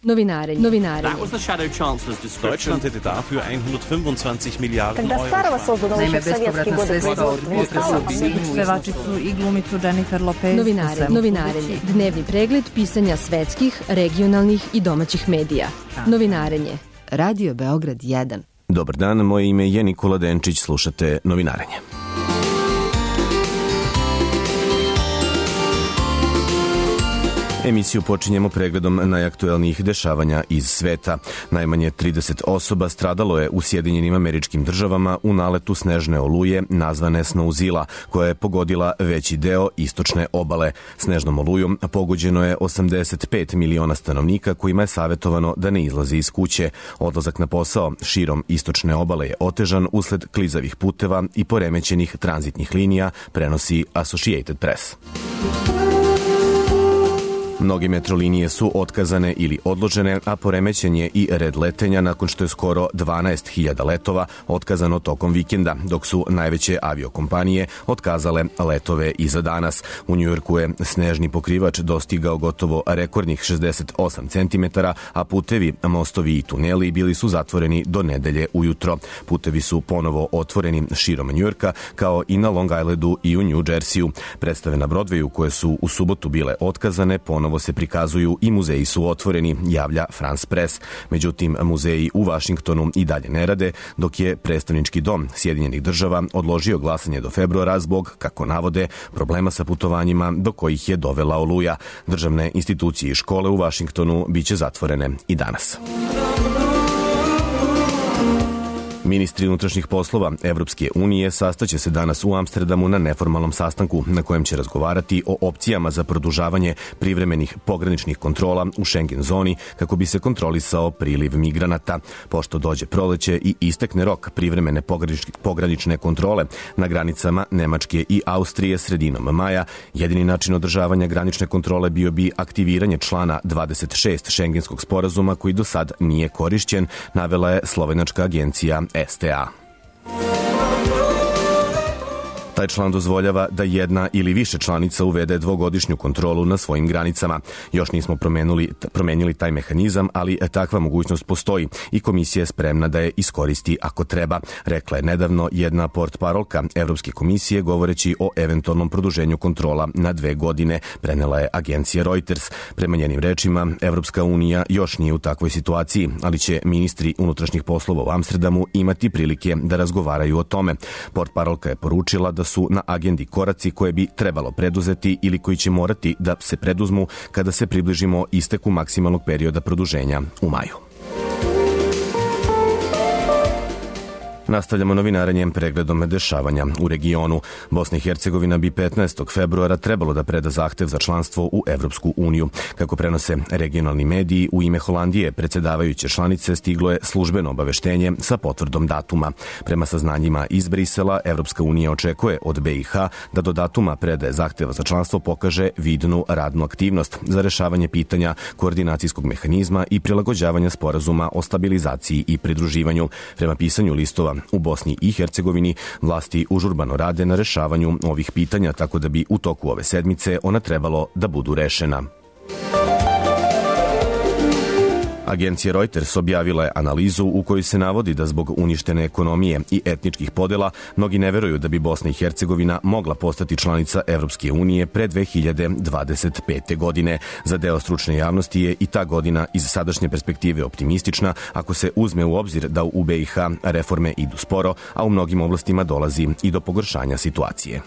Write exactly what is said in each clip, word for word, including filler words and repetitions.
Novinarenje. Novinarenje. Deutschland hätte dafür hundertfünfundzwanzig Milliarden Когда старого создан Naime, bespovratna sredstva od potresa pevačicu i glumicu Jennifer Lopez. Novinarenje. Novinarenje. Dnevni pregled pisanja svetskih, regionalnih i domaćih medija. Novinarenje. Radio Beograd jedan. Dobar dan, moje ime je Nikola Denčić, slušate Novinarenje. Emisiju počinjemo pregledom najaktuelnijih dešavanja iz sveta. Najmanje trideset osoba stradalo je u Sjedinjenim Američkim Državama u naletu snežne oluje nazvane Snowzilla, koja je pogodila veći deo istočne obale. Snežnom olujom pogođeno je osamdeset pet miliona stanovnika kojima je savjetovano da ne izlaze iz kuće. Odlazak na posao širom istočne obale je otežan usled klizavih puteva i poremećenih tranzitnih linija, prenosi Associated Press. Mnoge metrolinije su otkazane ili odložene, a poremećen je i red letenja nakon što je skoro dvanaest hiljada letova otkazano tokom vikenda, dok su najveće aviokompanije otkazale letove i za danas. U Njujorku je snežni pokrivač dostigao gotovo rekordnih šezdeset osam centimetara, a putevi, mostovi i tuneli bili su zatvoreni do nedelje ujutro. Putevi su ponovo otvoreni širom Njujorka, kao i na Long Islandu i u New Jerseyu. Predstave na Broadwayu, koje su u subotu bile otkazane, ponovo se prikazuju i muzeji su otvoreni, javlja France Press. Međutim, muzeji u Vašingtonu i dalje ne rade, dok je predstavnički dom Sjedinjenih Država odložio glasanje do februara zbog, kako navode, problema sa putovanjima do kojih je dovela oluja. Državne institucije i škole u Vašingtonu biće zatvorene i danas. Ministri unutrašnjih poslova Evropske unije sastaće se danas u Amsterdamu na neformalnom sastanku na kojem će razgovarati o opcijama za produžavanje privremenih pograničnih kontrola u Schengen zoni kako bi se kontrolisao priliv migranata. Pošto dođe proleće i istekne rok privremene pogranične kontrole na granicama Nemačke i Austrije sredinom maja, jedini način održavanja granične kontrole bio bi aktiviranje člana dvadeset šest Schengenskog sporazuma koji do sad nije korišćen, navela je slovenačka agencija S T A. Taj član dozvoljava da jedna ili više članica uvede dvogodišnju kontrolu na svojim granicama. Još nismo promenili, promenili taj mehanizam, ali takva mogućnost postoji i komisija je spremna da je iskoristi ako treba, rekla je nedavno jedna portparolka Evropske komisije govoreći o eventualnom produženju kontrola na dve godine, prenela je agencija Reuters. Prema njenim rečima, Evropska unija još nije u takvoj situaciji, ali će ministri unutrašnjih poslova u Amsterdamu imati prilike da razgovaraju o tome. Portparolka je poručila da su na agendi koraci koje bi trebalo preduzeti ili koji će morati da se preduzmu kada se približimo isteku maksimalnog perioda produženja u maju. Nastavljamo novinarenjem pregledom dešavanja u regionu. Bosna i Hercegovina bi petnaestog februara trebalo da preda zahtev za članstvo u Evropsku uniju. Kako prenose regionalni mediji, u ime Holandije predsjedavajuće članice stiglo je službeno obaveštenje sa potvrdom datuma. Prema saznanjima iz Brisela, Evropska unija očekuje od B i H da do datuma predaje zahteva za članstvo pokaže vidnu radnu aktivnost za rešavanje pitanja koordinacijskog mehanizma i prilagođavanja sporazuma o stabilizaciji i pridruživanju. Prema pisanju listova u Bosni i Hercegovini, vlasti užurbano rade na rešavanju ovih pitanja, tako da bi u toku ove sedmice ona trebalo da budu rešena. Agencija Reuters objavila je analizu u kojoj se navodi da zbog uništene ekonomije i etničkih podela mnogi ne veruju da bi Bosna i Hercegovina mogla postati članica Evropske unije pre dve hiljade dvadeset pete. godine. Za deo stručne javnosti je i ta godina iz sadašnje perspektive optimistična ako se uzme u obzir da u B i H reforme idu sporo, a u mnogim oblastima dolazi i do pogoršanja situacije.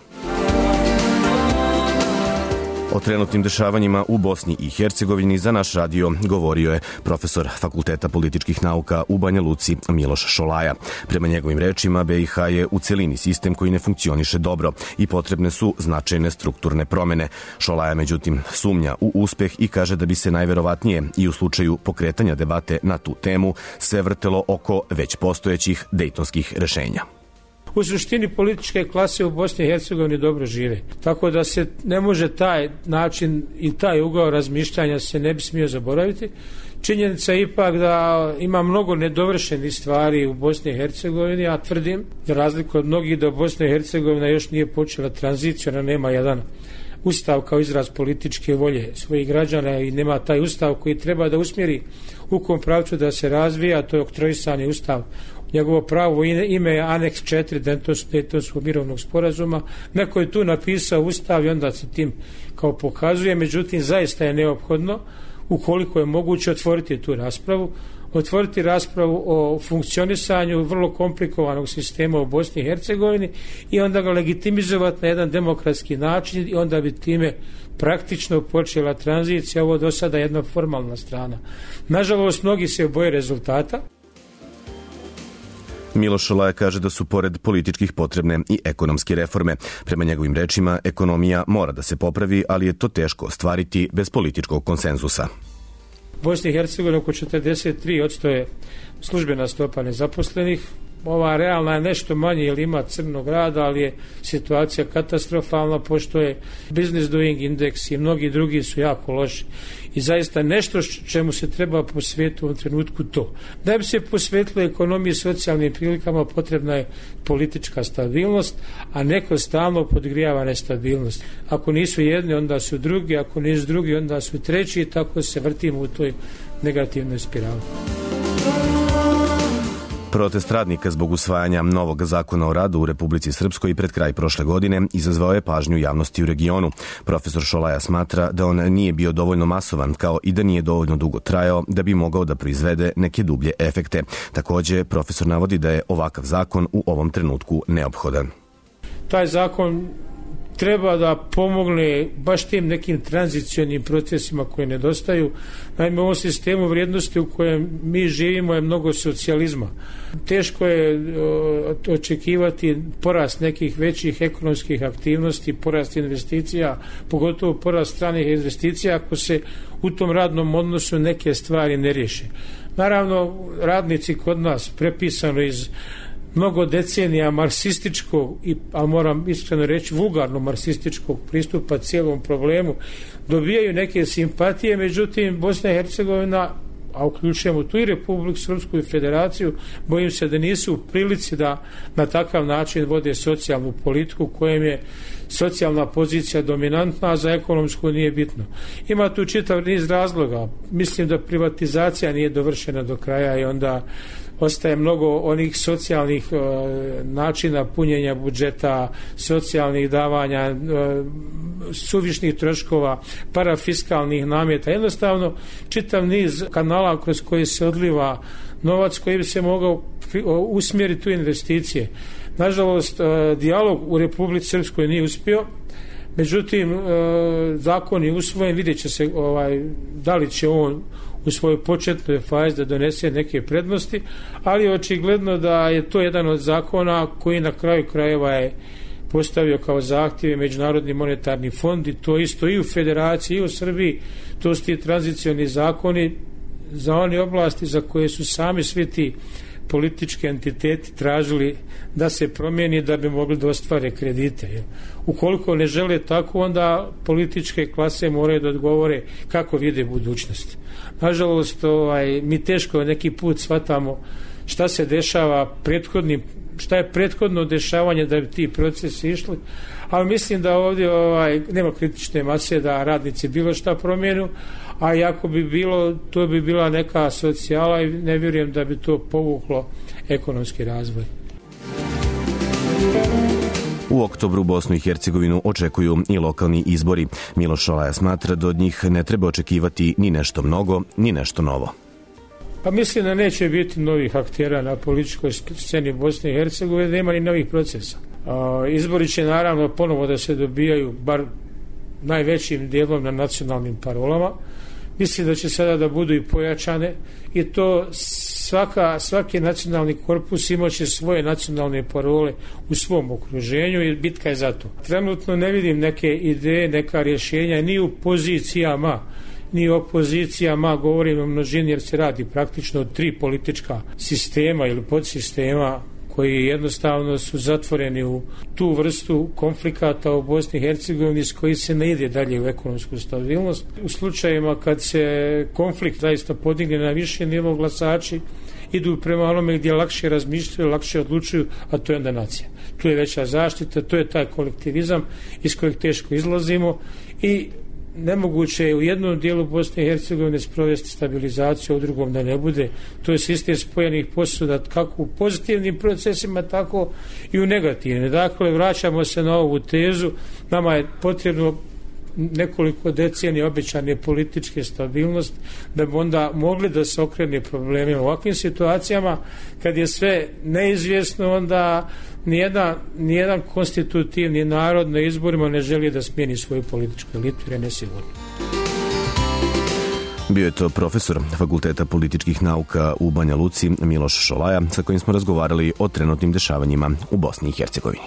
O trenutnim dešavanjima u Bosni i Hercegovini za naš radio govorio je profesor Fakulteta političkih nauka u Banja Luci Miloš Šolaja. Prema njegovim rečima, B i H je u celini sistem koji ne funkcioniše dobro i potrebne su značajne strukturne promene. Šolaja, međutim, sumnja u uspeh i kaže da bi se najverovatnije i u slučaju pokretanja debate na tu temu sve vrtelo oko već postojećih dejtonskih rešenja. U suštini političke klase u Bosni i Hercegovini dobro žive. Tako da se ne može taj način i taj ugao razmišljanja se ne bi smio zaboraviti. Činjenica je ipak da ima mnogo nedovršenih stvari u Bosni i Hercegovini, ja tvrdim, za razliku od mnogih, da Bosna i Hercegovina još nije počela tranziciju, ona nema jedan ustav kao izraz političke volje svojih građana i nema taj ustav koji treba da usmjeri u kom pravcu da se razvija, to je oktroisani ustav. Njegovo pravo ime je aneks četiri Daytonskog mirovnog sporazuma. Neko je tu napisao ustav i onda se tim kao pokazuje, međutim zaista je neophodno, ukoliko je moguće, otvoriti tu raspravu, otvoriti raspravu o funkcionisanju vrlo komplikovanog sistema u Bosni i Hercegovini i onda ga legitimizovati na jedan demokratski način i onda bi time praktično počela tranzicija. Ovo do sada jedna formalna strana. Nažalost, mnogi se boje rezultata. Miloš Šolaja kaže da su pored političkih potrebne i ekonomske reforme. Prema njegovim rečima, ekonomija mora da se popravi, ali je to teško ostvariti bez političkog konsenzusa. U Bosni i Hercegovini oko četrdeset tri posto je službena stopa nezaposlenih. Ova realna je nešto manje jer ima crnog rada, ali je situacija katastrofalna pošto je business doing index i mnogi drugi su jako loši. I zaista nešto čemu se treba posvetiti u ovom trenutku to. Da bi se posvetilo ekonomiji i socijalnim prilikama potrebna je politička stabilnost, a neko stalno podgrijava nestabilnost. Ako nisu jedni, onda su drugi, ako nisu drugi, onda su treći i tako se vrtimo u toj negativnoj spirali. Protest radnika zbog usvajanja novog zakona o radu u Republici Srpskoj pred kraj prošle godine izazvao je pažnju javnosti u regionu. Profesor Šolaja smatra da on nije bio dovoljno masovan, kao i da nije dovoljno dugo trajao da bi mogao da proizvede neke dublje efekte. Također, profesor navodi da je ovakav zakon u ovom trenutku neophodan. Taj zakon treba da pomogne baš tim nekim tranzicionim procesima koji nedostaju. Naime, u ovom sistemu vrijednosti u kojem mi živimo je mnogo socijalizma. Teško je očekivati porast nekih većih ekonomskih aktivnosti, porast investicija, pogotovo porast stranih investicija ako se u tom radnom odnosu neke stvari ne riješe. Naravno, radnici kod nas, prepisano iz mnogo decenija marksističkog, a moram iskreno reći vulgarno marksističkog pristupa cijelom problemu, dobijaju neke simpatije, međutim Bosna i Hercegovina, a uključujemo tu i Republiku Srpsku i Federaciju, bojim se da nisu u prilici da na takav način vode socijalnu politiku kojem je socijalna pozicija dominantna, a za ekonomsku nije bitno. Ima tu čitav niz razloga. Mislim da privatizacija nije dovršena do kraja i onda ostaje mnogo onih socijalnih e, načina punjenja budžeta, socijalnih davanja, e, suvišnih troškova, parafiskalnih nameta. Jednostavno, čitav niz kanala kroz koji se odliva novac koji bi se mogao usmjeriti u investicije. Nažalost, e, dijalog u Republici Srpskoj nije uspio. Međutim, e, zakon je usvojen, vidjet će se ovaj, da li će on u svojoj početnoj fazi da donese neke prednosti, ali očigledno da je to jedan od zakona koji na kraju krajeva je postavio kao zahtjeve Međunarodni monetarni fond i to isto i u Federaciji i u Srbiji. To su ti tranzicioni zakoni za one oblasti za koje su sami svi ti politički entiteti tražili da se promijeni da bi mogli da ostvare kredite. Ukoliko ne žele tako, onda političke klase moraju da odgovore kako vide budućnost. Nažalost, ovaj, mi teško neki put shvatamo šta se dešava prethodnim, šta je prethodno dešavanje da bi ti procesi išli, ali mislim da ovdje ovaj, nema kritične mase da radnici bilo šta promijenu, a ako bi bilo, to bi bila neka socijala i ne vjerujem da bi to povuklo ekonomski razvoj. U oktobru Bosnu i Hercegovinu očekuju i lokalni izbori. Miloš Šolaja smatra da od njih ne treba očekivati ni nešto mnogo, ni nešto novo. Pa mislim da neće biti novih aktera na političkoj sceni Bosne i Hercegovine, nema ni novih procesa. A, izbori će naravno ponovo da se dobijaju bar najvećim dijelom na nacionalnim parolama. Mislim da će sada da budu i pojačane i to svaka, svaki nacionalni korpus imaće svoje nacionalne parole u svom okruženju i bitka je za to. Trenutno ne vidim neke ideje, neka rješenja ni u pozicijama, ni opozicijama, govorim o množini jer se radi praktično o tri politička sistema ili podsistema koji jednostavno su zatvoreni u tu vrstu konflikata u Bosni i Hercegovini s koji se ne ide dalje u ekonomsku stabilnost. U slučajima kad se konflikt zaista podigne na više nivo, glasači idu prema onome gdje lakše razmišljaju, lakše odlučuju, a to je onda nacija. Tu je veća zaštita, to je taj kolektivizam iz kojeg teško izlazimo i nemoguće je u jednom dijelu Bosne i Hercegovine sprovesti stabilizaciju, a u drugom da ne bude. To je sistem spojenih posuda kako u pozitivnim procesima, tako i u negativnim. Dakle, vraćamo se na ovu tezu, nama je potrebno nekoliko decenija obećane političke stabilnosti da bi onda mogli da se okrene problemi u ovakvim situacijama. Kad je sve neizvjesno, onda nijedan, nijedan konstitutivni narod na izborima ne želi da smijeni svoju političku elitu jer je nesigurno. Bio je to profesor Fakulteta političkih nauka u Banja Luci Miloš Šolaja, sa kojim smo razgovarali o trenutnim dešavanjima u Bosni i Hercegovini.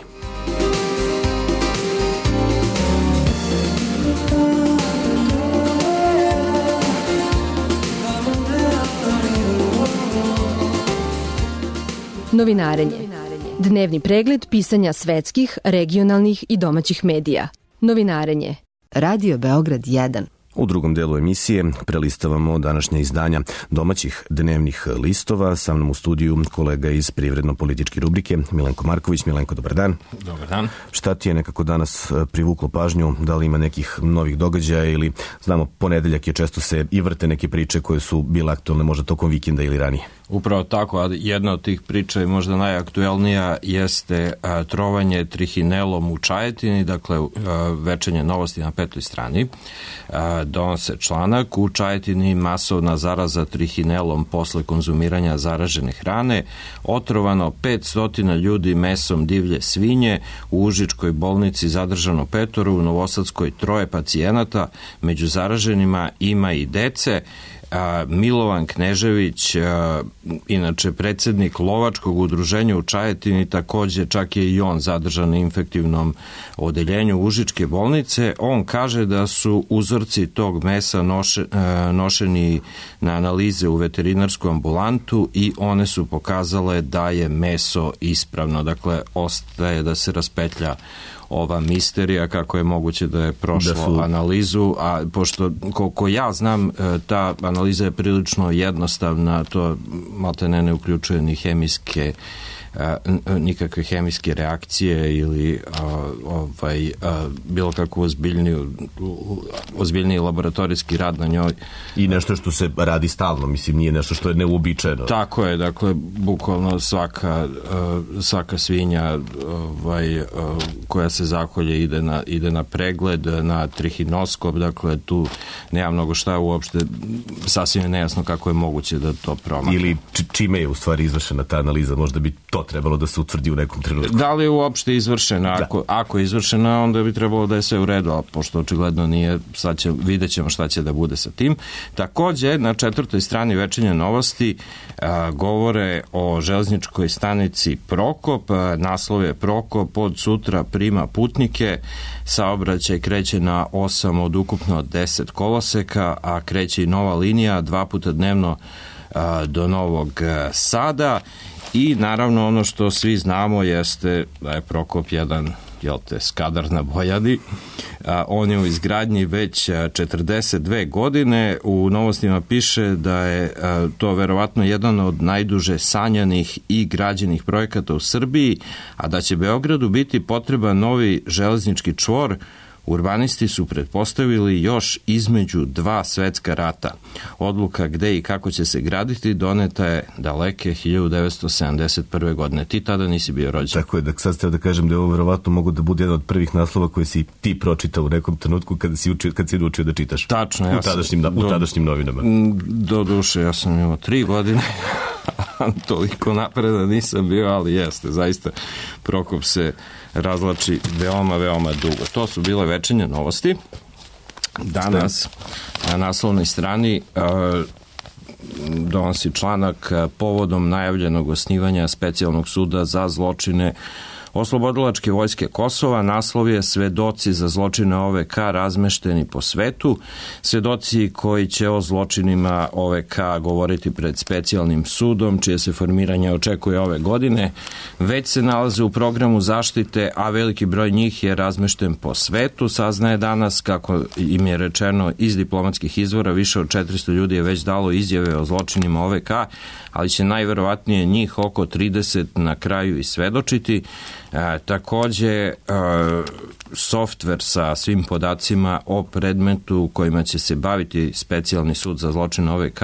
Novinarenje. Dnevni pregled pisanja svetskih, regionalnih i domaćih medija. Novinarenje. Radio Beograd jedan. U drugom delu emisije prelistavamo današnja izdanja domaćih dnevnih listova. Sa mnom u studiju kolega iz privredno-političke rubrike Milenko Marković. Milenko, dobar dan. Dobar dan. Šta ti je nekako danas privuklo pažnju? Da li ima nekih novih događaja ili, znamo, ponedeljak je, često se i vrte neke priče koje su bile aktualne možda tokom vikenda ili ranije? Upravo tako, a jedna od tih priča i možda najaktuelnija jeste a, trovanje trihinelom u Čajetini, dakle a, Večernje novosti na petoj strani. A, donose članak: u Čajetini masovna zaraza trihinelom posle konzumiranja zaražene hrane, otrovano petsto ljudi mesom divlje svinje, u Užičkoj bolnici zadržano petoro, u Novosadskoj troje pacijenata, među zaraženima ima i dece. A, Milovan Knežević, a, inače predsjednik lovačkog udruženja u Čajetini, također čak je i on zadržan na infektivnom odeljenju Užičke bolnice. On kaže da su uzorci tog mesa noše, a, nošeni na analize u veterinarsku ambulantu i one su pokazale da je meso ispravno. Dakle, ostaje da se raspetlja ova misterija kako je moguće da je prošlo da su... analizu, a pošto koliko ja znam, ta analiza je prilično jednostavna, to maltene ne uključuje ni hemijske nikakve hemijske reakcije ili a, ovaj, a, bilo kakvu ozbiljniju, ozbiljniji laboratorijski rad na njoj. I nešto što se radi stalno, mislim, nije nešto što je neuobičajeno. Tako je, dakle, bukvalno svaka, svaka svinja ovaj, koja se zakolje ide na, ide na pregled, na trihinoskop, dakle, tu nema mnogo šta uopšte, sasvim je nejasno kako je moguće da to promakne. Ili čime je u stvari izvršena ta analiza, možda bi to trebalo da se utvrdi u nekom trenutku. Da li je uopšte izvršena? Ako, ako je izvršena, onda bi trebalo da je sve u redu, a pošto očigledno nije, sad će, vidjet ćemo šta će da bude sa tim. Također, na četvrtoj strani Večernje novosti a, govore o železničkoj stanici Prokop. A, naslov je Prokop od sutra prima putnike. Saobraćaj kreće na osam od ukupno deset koloseka, a kreće i nova linija dva puta dnevno a, do Novog Sada. I naravno ono što svi znamo jeste da je Prokop jedan, jel te, skadar na Bojani. A, on je u izgradnji već četrdeset dve godine. U novostima piše da je a, to verovatno jedan od najduže sanjanih i građenih projekata u Srbiji, a da će Beogradu biti potreban novi železnički čvor. Urbanisti su pretpostavili još između dva svetska rata. Odluka gde i kako će se graditi doneta je daleke hiljadu devetsto sedamdeset prve. godine. Ti tada nisi bio rođen. Tako je, da sad ste da kažem da je ovo verovatno mogu da bude jedan od prvih naslova koje si ti pročitao u nekom trenutku kada si, učio, kad si učio da čitaš. Tačno. Ja u, tadašnjim, sam, u tadašnjim do, novinama. Do duše, ja sam imao tri godine. Toliko napreda nisam bio, ali jeste, zaista Prokop se razlači veoma, veoma dugo. To su bile Večernje novosti. Danas na naslovnoj strani uh, donosi članak povodom najavljenog osnivanja specijalnog suda za zločine Oslobodilačke vojske Kosova, naslov je Svedoci za zločine O V K razmešteni po svetu, svedoci koji će o zločinima O V K govoriti pred specijalnim sudom, čije se formiranje očekuje ove godine, već se nalaze u programu zaštite, a veliki broj njih je razmešten po svetu. Saznaje danas, kako im je rečeno iz diplomatskih izvora, više od četiristo ljudi je već dalo izjave o zločinima O V K, ali će najverovatnije njih oko trideset na kraju i svedočiti. E, takođe, e, softver sa svim podacima o predmetu kojima će se baviti specijalni sud za zločine O V K,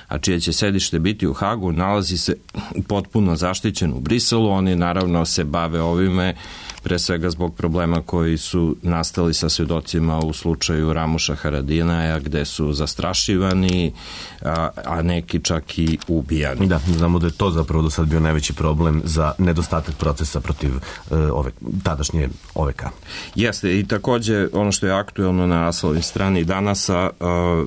a čije će sedište biti u Hagu, nalazi se potpuno zaštićen u Briselu. Oni naravno se bave ovime pre svega zbog problema koji su nastali sa svedocima u slučaju Ramuša Haradinaja, gde su zastrašivani, a, a neki čak i ubijani. Da, znamo da je to zapravo do sad bio najveći problem za nedostatak procesa protiv e, ove, tadašnje O V K. Jeste, i takođe ono što je aktuelno na naslovnoj strani Danasa, a,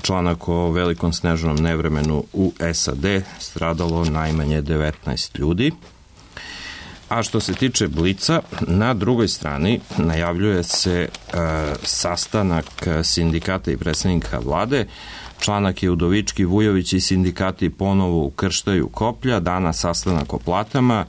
članak o velikom snežnom nevremenu u S A D, stradalo najmanje devetnaest ljudi. A što se tiče Blica, na drugoj strani najavljuje se e, sastanak sindikata i predstavnika vlade. Članak je Udovički, Vujović i sindikati ponovo ukrštaju koplja, danas sastanak o platama.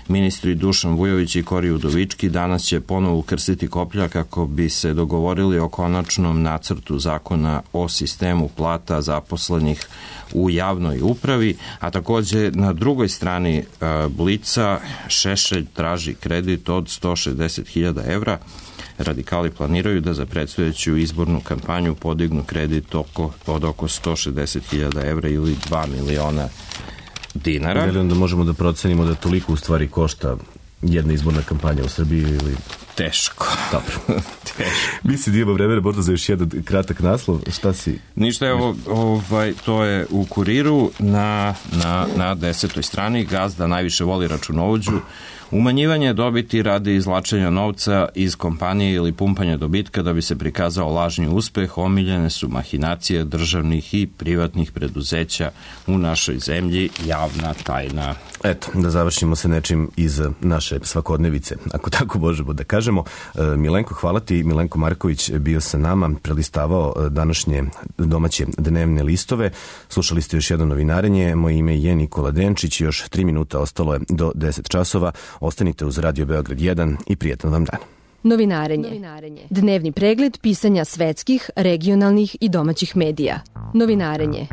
Ministri Dušan Vujović i Kori Udovički danas će ponovo ukrstiti koplja kako bi se dogovorili o konačnom nacrtu zakona o sistemu plata zaposlenih u javnoj upravi, a takođe na drugoj strani e, Blica Šešelj traži kredit od sto šezdeset hiljada evra. Radikali planiraju da za predstojeću izbornu kampanju podignu kredit oko, od oko sto šezdeset hiljada evra ili dva miliona dinara. Da li onda možemo da procenimo da toliko u stvari košta jedna izborna kampanja u Srbiji ili... Teško. Dobro. Teško. Misli da ima vremena možda za još jedan kratak naslov. Šta si... Ništa, evo, ovaj, to je u Kuriru na, na, na desetoj strani. Gazda najviše voli računovođu. Umanjivanje dobiti radi izvlačenja novca iz kompanije ili pumpanja dobitka da bi se prikazao lažni uspeh, omiljene su mahinacije državnih i privatnih preduzeća u našoj zemlji, javna tajna. Eto, da završimo se nečim iz naše svakodnevice, ako tako možemo da kažemo. Milenko, hvala ti. Milenko Marković bio sa nama, prelistavao današnje domaće dnevne listove. Slušali ste još jedno novinarenje. Moje ime je Nikola Denčić. Još tri minuta ostalo je do deset časova. Ostanite uz Radio Beograd jedan i prijetan vam dan. Novinarenje. Dnevni pregled pisanja svetskih, regionalnih i domaćih medija. Novinarenje.